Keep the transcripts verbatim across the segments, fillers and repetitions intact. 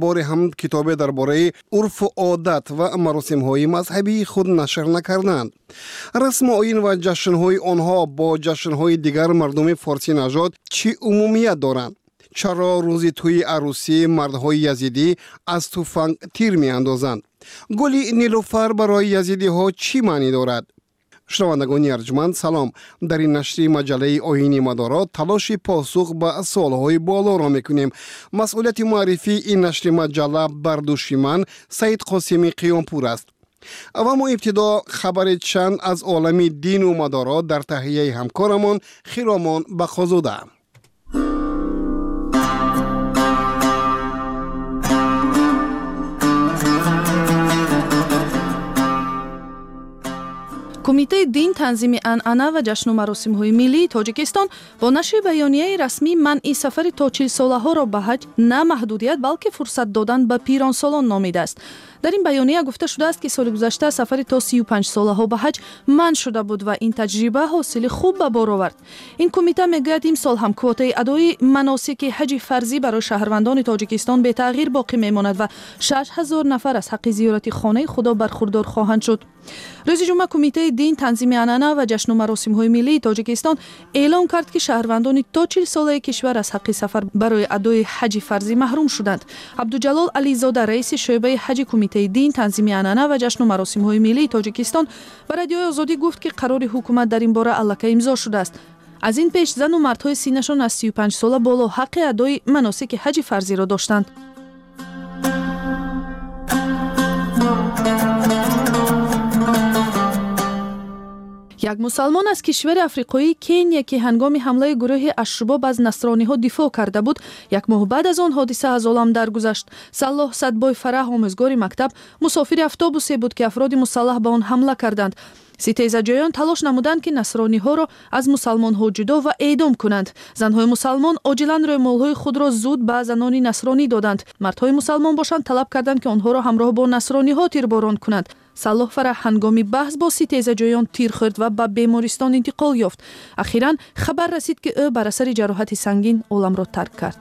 Боре ҳам китобе дар бораи урфу одат ва маросимҳои мазҳабии худ нашр накарданд. Расму оин ва ҷашнҳои онҳо бо ҷашнҳои дигар мардуми форсинажод чӣ умумият доранд? Чаро рӯзи тӯи арӯсӣ мардҳои язидӣ аз туфанг тир меандозанд? Гули нилуфар барои язидиҳо чӣ маънӣ дорад? Шунавандагони арҷманд, салом. Дар ин нашри маҷаллаи оини мадоро талоши посух ба суолҳои болоро мекунем. Масъулияти муаррифии ин нашри маҷалла бар дӯши ман Саид Қосими Қиёмпур аст. Ва мо ибтидо хабари чанд аз олами дину мадоро дар таҳияи ҳамкорамон Хиромон Бақозода. Кумитаи дин, танзими анъана ва ҷашну маросимҳои миллии Тоҷикистон бо нашри баёнияи расмӣ манъи сафари то чилсолаҳоро ба ҳаҷ на маҳдудият, балки фурсат додан ба пиронсолон номидааст. Дар ин баёния гуфта шудааст, ки соли гузашта сафари то сию панҷ солаҳо ба ҳаҷ манъ шуда буд ва ин таҷриба ҳосили хуб ба бор овард. Ин кумита мегӯяд, имсол ҳам квотаи адои маносики ҳаҷи фарзӣ барои шаҳрвандони Тоҷикистон бетағйир боқӣ мемонад ва шаш ҳазор нафар аз ҳаққи зиёрати хонаи Худо бархурдор хоҳанд шуд. Рӯзи ҷумъа кумитаи дин, танзими анъана ва ҷашну маросимҳои миллии Тоҷикистон эълон кард, ки шаҳрвандони то чилсолаи кишвар аз ҳаққи сафар барои адои ҳаҷи фарзӣ маҳрум шуданд. Абдуҷалол Ализода, раиси шӯъбаи ҳаҷи кумитаи дин, танзими анъана ва ҷашну маросимҳои миллии Тоҷикистон, ба Радиои Озодӣ гуфт, ки қарори ҳукумат дар ин бора аллакай имзо шудааст. Аз ин пеш зану мардҳои синнашон аз сию панҷ сола боло ҳаққи адои маносики ҳаҷи фарзиро доштанд. Як мусалмон аз кишвари африқоии Кения, ки ҳангоми ҳамлаи гурӯҳи Ашшубоб аз насрониҳо дифоъ карда буд, як моҳ баъд аз он ҳодиса аз олам даргузашт. Саллоҳ Садбой Фараҳ, омӯзгори мактаб, мусофири автобусе буд, ки афроди мусаллаҳ ба он ҳамла карданд. Ситезаҷоён талош намуданд, ки насрониҳоро аз мусалмонҳо ҷудо ва эъдом кунанд. Занҳои мусалмон оҷилан рӯймолҳои худро зуд ба занони насронӣ доданд. Мардҳои мусалмон бошанд талаб карданд, ки онҳоро ҳамроҳ бо насрониҳо тирборон кунанд. Саллоҳ Фараҳ ҳангоми баҳс бо ситезаҷоён тир хӯрд ва ба бемористон интиқол ёфт. Ахиран хабар расид, ки ӯ бар асари ҷароҳати сангин оламро тарк кард.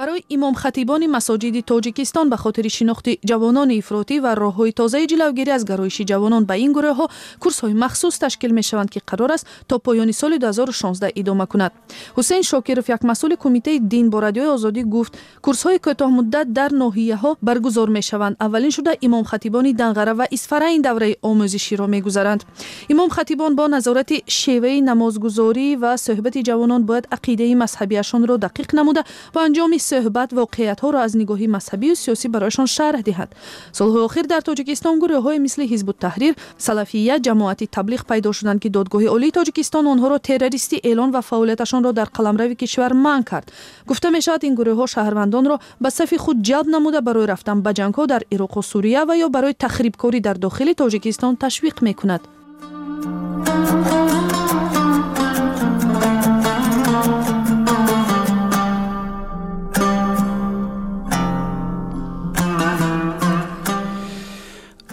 Барои имомхатибони масоҷиди Тоҷикистон ба хотири шинохти ҷавонони ифротӣ ва роҳҳои тозаи ҷилавгирӣ аз гароиши ҷавонон ба ин гурӯҳҳо курсҳои махсус ташкил мешаванд, ки қарор аст то поёни соли ду ҳазору шонздаҳ идома кунад. Ҳусейн Шокиров, як масъули кумитаи дин, бо Радиои Озодӣ гуфт, курсҳои кӯтоҳмуддат дар ноҳияҳо баргузор мешаванд. Аввалин шуда имомхатибони Данғара ва Исфара ин давраи омӯзиширо мегузаранд. Имомхатибон бо назорати шеваи намозгузорӣ ва суҳбати ҷавонон бояд ақидаи мазҳабиашонро дақиқ намуда бо анҷоми суҳбат воқеиятҳоро аз нигоҳи мазҳабию сиёсӣ барояшон шарҳ диҳад. Солҳои охир дар Тоҷикистон гурӯҳҳое мисли Ҳизбуттаҳрир, Салафия, ҷамоати таблиғ пайдо шуданд, ки Додгоҳи Олии Тоҷикистон онҳоро террористӣ эълон ва фаъолияташонро дар қаламрави кишвар манъ кард. Гуфта мешавад, ин гурӯҳҳо шаҳрвандонро ба сафи худ ҷалб намуда барои рафтан ба ҷангҳо дар Ироқу Сурия ва ё барои тахрибкорӣ дар дохили Тоҷикистон ташвиқ мекунад.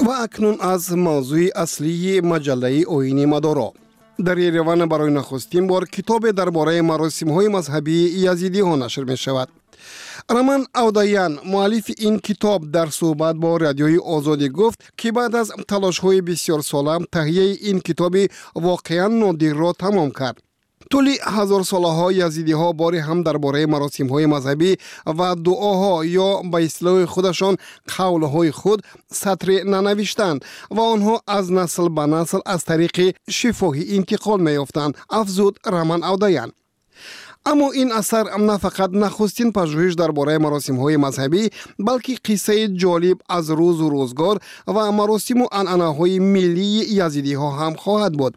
Ва акнун аз мавзӯи аслии маҷаллаи оини мадоро. Дар Ереван барои нахустин бор китобе дар бораи маросимҳои мазҳабии язидиҳо нашр мешавад. Роман Авдаян, муаллифи ин китоб, дар суҳбат бо Радиои Озодӣ гуфт, ки баъд аз талошҳои бисёрсола таҳияи ин китоби воқеан нодирро тамом кард. Тӯли ҳазорсолаҳо язидиҳо бори ҳам дар бораи маросимҳои мазҳабӣ ва дуоҳо ё ба истилоҳи худашон қавлҳои худ сатре нанавиштанд ва онҳо аз насл ба насл аз тариқи шифоҳӣ интиқол меёфтанд, афзуд Роман Авдаян. Аммо ин асар на фақат нахустин пажӯҳиш дар бораи маросимҳои мазҳабӣ, балки қиссаи ҷолиб аз рӯзу рӯзгор ва маросиму анъанаҳои миллии язидиҳо ҳам хоҳад буд.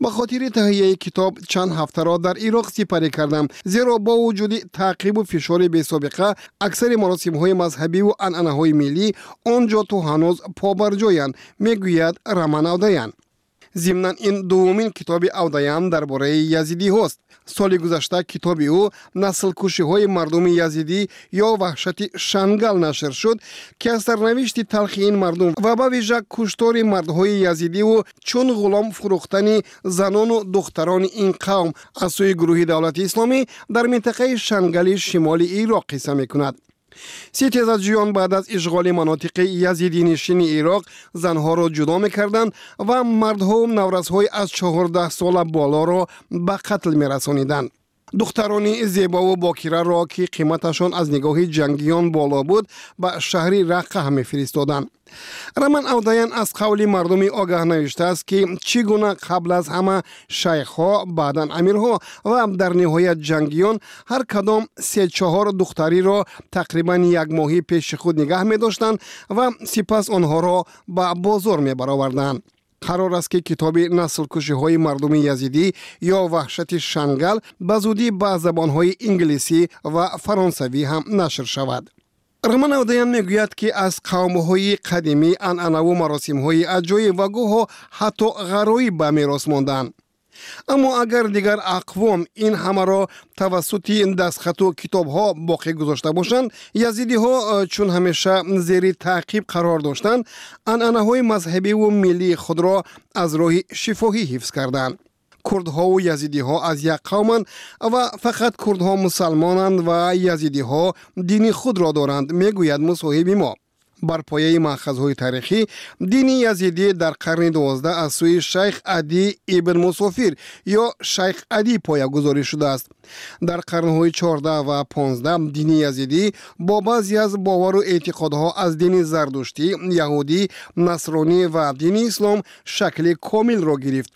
Ба хотири таҳияи китоб чанд ҳафтаро дар Ироқ сипарӣ кардам, зеро бо вуҷуди таъқибу фишори бесобиқа аксари маросимҳои мазҳабиву анъанаҳои миллӣ он ҷо то ҳанӯз побарҷоянд, мегӯяд Роман Авдаян. Зимнан, ин дуввумин китоби Авдаян дар бораи язидиҳост. Соли гузашта китоби ӯ «Наслкушиҳои мардуми язидӣ ё ваҳшати Шангал» нашр шуд, ки аз сарнавишти талхи ин мардум ва ба вижа куштори мардҳои язидиву чун ғулом фурӯхтани занону духтарони ин қавм аз сӯи гурӯҳи Давлати Исломӣ дар минтақаи Шангали шимоли Ироқ қисса мекунад. Ситезаҷӯён баъд аз ишғоли манотиқи язидинишини Ироқ занҳоро ҷудо мекарданд ва мардҳову наврасҳои аз чордаҳ сола болоро ба қатл мерасониданд. Духтарони зебову бокираро, ки қиматашон аз нигоҳи ҷангиён боло буд, ба шаҳри Раққа мефиристоданд. Раман Авдаян аз қавли мардуми огаҳ навиштааст, ки чӣ гуна қабл аз ҳама шайхҳо, баъдан амирҳо ва дар ниҳоят ҷангиён ҳар кадом се-чаҳор духтариро тақрибан як моҳӣ пеши худ нигаҳ медоштанд ва сипас онҳоро ба бозор мебароварданд. Қарор аст, ки китоби «Наслкушиҳои мардуми язидӣ ё ваҳшати Шангал» ба зудӣ ба забонҳои инглисӣ ва фаронсавӣ ҳам нашр шавад. Раман Авдаян мегӯяд, ки аз қавмҳои қадимӣ анъанаву маросимҳои аҷоиб ва гоҳо ҳатто ғароиб ба мерос монданд. Аммо агар дигар ақвом ин ҳамаро тавассути дастхату китобҳо боқӣ гузошта бошанд, язидиҳо, э, чун ҳамеша зери таъқиб қарор доштанд, анъанаҳои мазҳабиву миллии худро аз роҳи шифоҳӣ ҳифз карданд. Курдҳову язидиҳо аз як қавманд ва фақат курдҳо мусалмонанд ва язидиҳо дини худро доранд, мегӯяд мусоҳиби мо. Бар пояи маъхазҳои таърихӣ, дини язидӣ дар қарни дувоздаҳ аз сӯи шайх Адӣ ибн Мусофир ё шайх Адӣ поягузорӣ шудааст. Дар қарнҳои чордаҳ ва понздаҳ дини язидӣ бо баъзе аз бовару эътиқодҳо аз дини зардуштӣ, яҳудӣ, насронӣ ва дини ислом шакли комилро гирифт.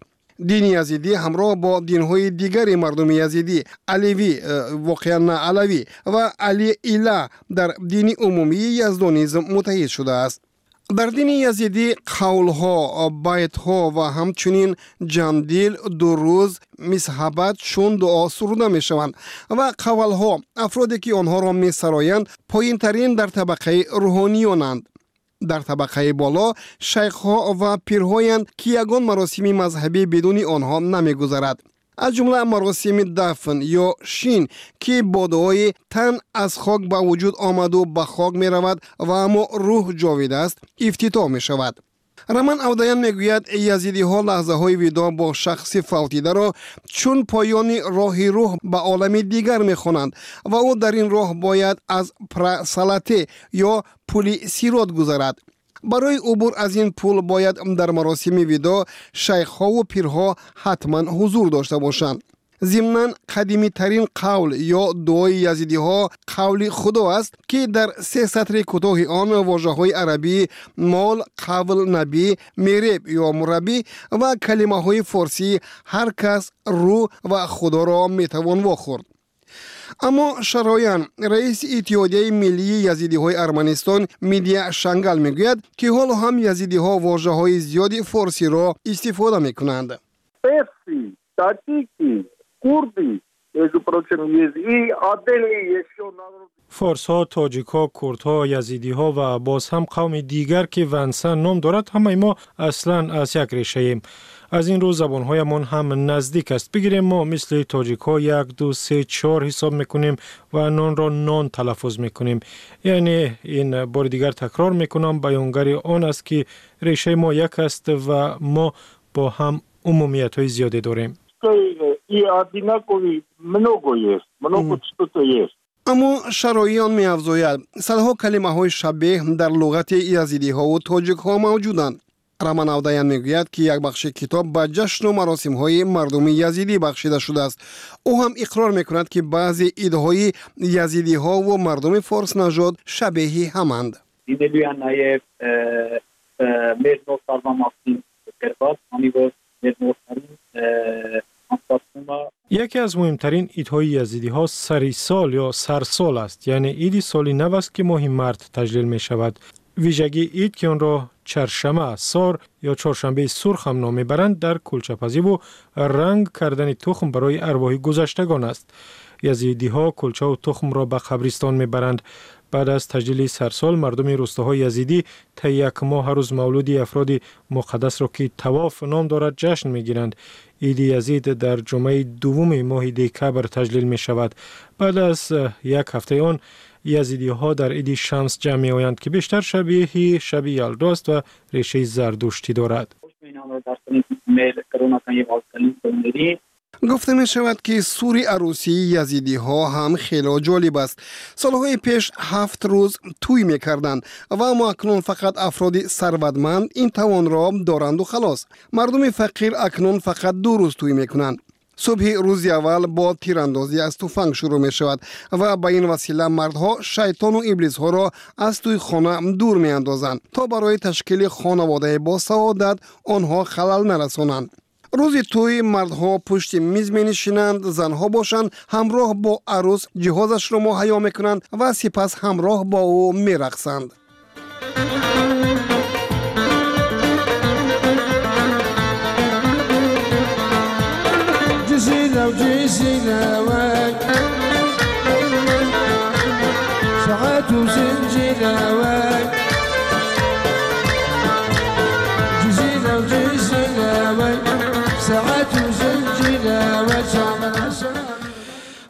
Дини язидӣ ҳамроҳ бо динҳои дигари мардуми язидӣ, аливӣ, э, воқеан на алавӣ, ва алиила дар дини умумии яздонизм муттаҳид шудааст. Дар дини язидӣ қавлҳо, байтҳо ва ҳамчунин ҷандил, дурӯз, мисҳабат чун дуо суруда мешаванд ва қавалҳо, афроде ки онҳоро месароянд, поинтарин дар табақаи рӯҳониёнанд. Дар табақаи боло шайхҳо ва пирҳоянд, ки ягон маросими мазҳабӣ бидуни онҳо намегузарад, аз ҷумла маросими дафн ё шин, ки бо дуои «Тан аз хок ба вуҷуд омаду ба хок меравад ва аммо рӯҳ ҷовид аст» ифтитоҳ мешавад. Раман Авдаян мегӯяд, язидиҳо лаҳзаҳои видоъ бо шахси фавтидаро чун поёни роҳи рӯҳ ба олами дигар мехонанд ва ӯ дар ин роҳ бояд аз прасалате ё пули сирот гузарад. Барои убур аз ин пул бояд дар маросими видоъ шайхҳову пирҳо ҳатман ҳузур дошта бошанд. Зимнан, қадимитарин қавл ё дуои язидиҳо қавли Худо аст, ки дар се сатри кӯтоҳи он вожаҳои арабии мол, қавл, набӣ, мереб ё мураббӣ ва калимаҳои форсии ҳар кас, рӯ ва Худоро метавон вохӯрд. Аммо Шароян, раиси Иттиҳодияи миллии язидиҳои Арманистон Мидия Шангал, мегӯяд, ки ҳоло ҳам язидиҳо вожаҳои зиёди форсиро истифода мекунанд. Курды, между прочим, есть и отдельные еще народы. Форсҳо, тоҷикҳо, курдҳо, язидиҳо ва боз ҳам қавми дигар, ки вансан ном дорад, ҳамаи мо аслан аз як решаем. Аз ин рӯ забонҳоямон ҳам наздик аст. Бигирем, мо мисли тоҷикҳо як, ду, се, чор ҳисоб мекунем ва нонро нон талаффуз мекунем. Яъне ин, бори дигар такрор мекунам, баёнгари он аст, ки решаи мо як аст ва мо бо ҳам умумиятҳои зиёде дорем. И одинаковый много есть, много что-то есть. Аммо Шароиён меафзояд, садҳо калимаҳои шабеҳ дар луғати язидиҳову тоҷикҳо мавҷуданд. Раман Авдаян мегӯяд, ки як бахши китоб ба ҷашну маросимҳои мардуми язидӣ бахшида шудааст. Ӯ ҳам иқрор мекунад, ки баъзе идҳои язидиҳову мардуми форснажод шабеҳи ҳаманд. Լինելու է նաև մեր նոր տարվա մասին գրված, քանի որ մեր նոր տարին Яке аз муҳимтарин идҳои язидиҳо сари сол ё сарсол аст, яъне иди соли нав аст, ки моҳи март таҷлил мешавад. Вижагии ид, ки онро Чаршама Сор ё Чоршанбеи Сурх ҳам ном мебаранд, дар кулчапазиву ранг кардани тухм барои арвоҳи гузаштагон аст. Язидиҳо кулчаву тухмро ба қабристон мебаранд. Баъд аз таҷлили сарсол мардуми рӯстаҳои язидӣ таи як моҳ ҳар рӯз мавлуди афроди муқаддасро, ки тавоф ном дорад, ҷашн мегиранд. Иди Язид дар ҷумъаи дуввуми моҳи декабр таҷлил мешавад. Баъд аз як ҳафтаи он язидиҳо дар иди Шамс ҷамъ меоянд, ки бештар шабеҳи шаби Ялдо аст ва решаи зардуштӣ дорад. Гуфта мешавад, ки сури арӯсии язидиҳо ҳам хело ҷолиб аст. Солҳои пеш ҳафт рӯз тӯй мекарданд ва аммо акнун фақат афроди сарватманд ин тавонро доранду халос. Мардуми фақир акнун фақат ду рӯз тӯй мекунанд. Субҳи рӯзи аввал бо тирандозӣ аз туфанг шурӯъ мешавад ва ба ин васила мардҳо шайтону иблисҳоро аз тӯи хона дур меандозанд, то барои ташкили хонаводаи босаодат онҳо халал нарасонанд. Рӯзи тӯй мардҳо пушти миз менишинанд, занҳо бошанд ҳамроҳ бо арӯс ҷиҳозашро муҳайё мекунанд ва сипас ҳамроҳ бо ӯ мерақсанд.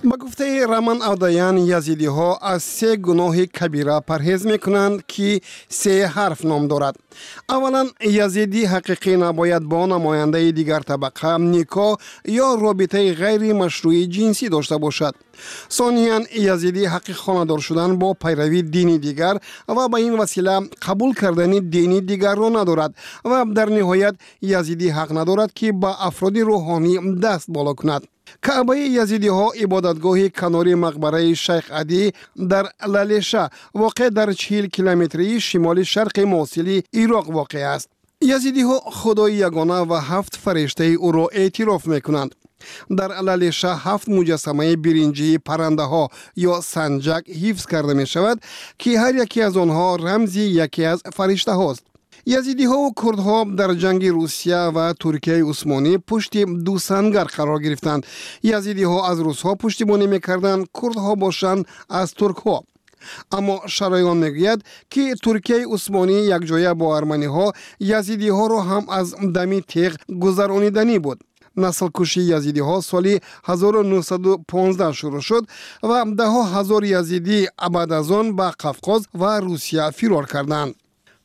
Ба гуфтаи Раман Авдаян, язидиҳо аз се гуноҳи кабира парҳез мекунанд, ки се ҳарф ном дорад. Аввалан, язидии ҳақиқӣ набояд бо намояндаи дигар табақа никоҳ ё робитаи ғайримашрӯи ҷинсӣ дошта бошад. Сониян, язидӣ ҳаққи хонадор шудан бо пайравии дини дигар ва ба ин васила қабул кардани дини дигарро надорад ва дар ниҳоят язидӣ ҳақ надорад, ки ба афроди рӯҳонӣ даст боло кунад. Каъбаи язидиҳо ибодатгоҳи канори мақбараи Шайх Адӣ дар Лалеша, воқеъ дар чил километрии шимоли шарқи Мосили Ироқ воқеъ аст. Язидиҳо худои ягона ва ҳафт фариштаи ӯро эътироф мекунанд. Дар Лалеша ҳафт муҷассамаи биринҷии паррандаҳо ё санҷак ҳифз карда мешавад, ки ҳар яке аз онҳо рамзи яке аз фариштаҳост. Язидиҳову курдҳо дар ҷанги Русия ва Туркияи Усмонӣ пушти ду сангар қарор гирифтанд. Язидиҳо аз русҳо пуштибонӣ мекарданд, курдҳо бошанд аз туркҳо. Аммо Шароён мегӯяд, ки Туркияи Усмонӣ якҷоя бо арманиҳо язидиҳоро ҳам аз дами теғ гузарониданӣ буд. Наслкушии язидиҳо соли ҳазору нуҳсаду понздаҳ шурӯъ шуд ва даҳҳо ҳазор язидӣ баъд аз он ба Қавқоз ва Русия фирор карданд.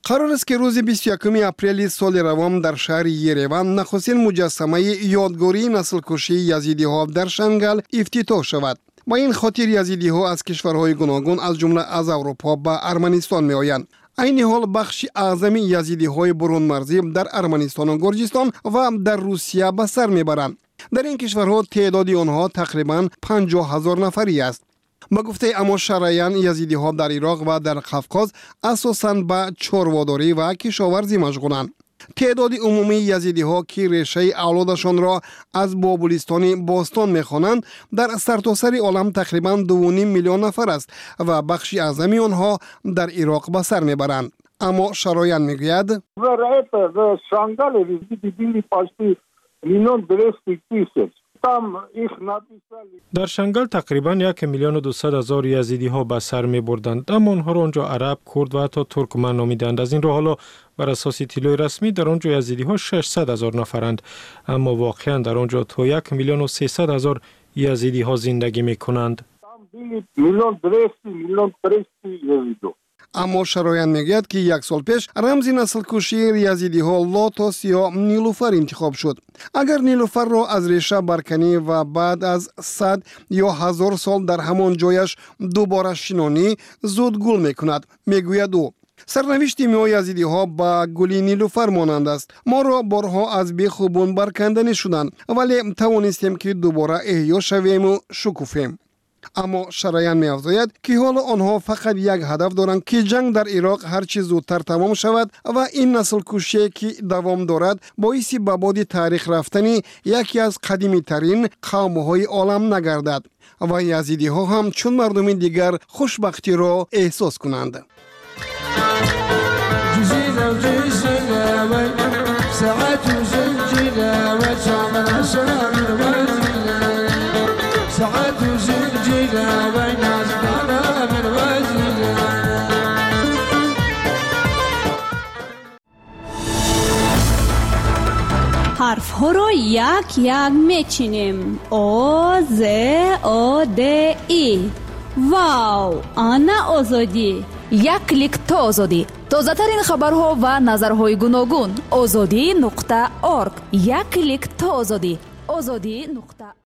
Қарор аст, ки рӯзи бисту якуми апрели соли равон дар шаҳри Ереван нахустин муҷассамаи ёдгории наслкушии язидиҳо дар Шангал ифтитоҳ шавад. Ба ин хотир язидиҳо аз кишварҳои гуногун, аз ҷумла аз Аврупо, ба Арманистон меоянд. Айни ҳол бахши аъзами язидиҳои бурунмарзӣ дар Арманистону Гурҷистон ва дар Русия ба сар мебаранд. Дар ин кишварҳо теъдоди онҳо тақрибан панҷоҳ ҳазор нафарӣ аст. Ба гуфтаи Амо Шараян, язидиҳо дар Ироқ ва дар Қавқоз асосан ба чорводорӣ ва кишоварзӣ машғуланд. Теъдоди умумии язидиҳо, ки решаи авлодашонро аз Бобулистони бостон мехонанд, дар сартосари олам тақрибан дуву ним миллион нафар аст ва бахши аъзами онҳо дар Ироқ ба сар мебаранд. Аммо Шароян мегӯяд: Дар Шангал тақрибан як миллиону дусад ҳазор язидиҳо ба сар мебурданд, аммо онҳоро он ҷо араб, курд ва ҳатто туркман номиданд. Аз ин рӯ ҳоло бар асоси иттилои расмӣ дар он ҷо язидиҳо шашсад ҳазор нафаранд, аммо воқеан дар он ҷо то як миллиону сесад ҳазор язидиҳо зиндагӣ мекунанд. Аммо Шароян мегӯяд, ки як сол пеш рамзи наслкушии язидиҳо лотос ё нилуфар интихоб шуд. Агар нилуфарро аз реша барканӣ ва баъд аз сад ё ҳазор сол дар ҳамон ҷояш дубора шинонӣ, зуд гул мекунад, мегӯяд ӯ. Сарнавишти мо язидиҳо ба гули нилуфар монанд аст. Моро борҳо аз беху бун барканданӣ шуданд, вале тавонистем, ки дубора эҳё шавему шукуфем. Аммо Шараян меафзояд, ки ҳоло онҳо фақат як ҳадаф доранд, ки ҷанг дар Ироқ ҳарчи зудтар тамом шавад ва ин наслкушие, ки давом дорад, боиси ба боди таърих рафтани яке аз қадимитарин қавмҳои олам нагардад ва язидиҳо ҳам чун мардуми дигар хушбахтиро эҳсос кунанд. Ҳарфҳоро як-як мечинем. О, З, О, Д, И. Вау! Ана Озодӣ! Як клик то озодӣ. Тозатарин хабарҳо ва назарҳои гуногун. Озодӣ нуқта орг. Як клик то озодӣ. Озодӣ нуқта.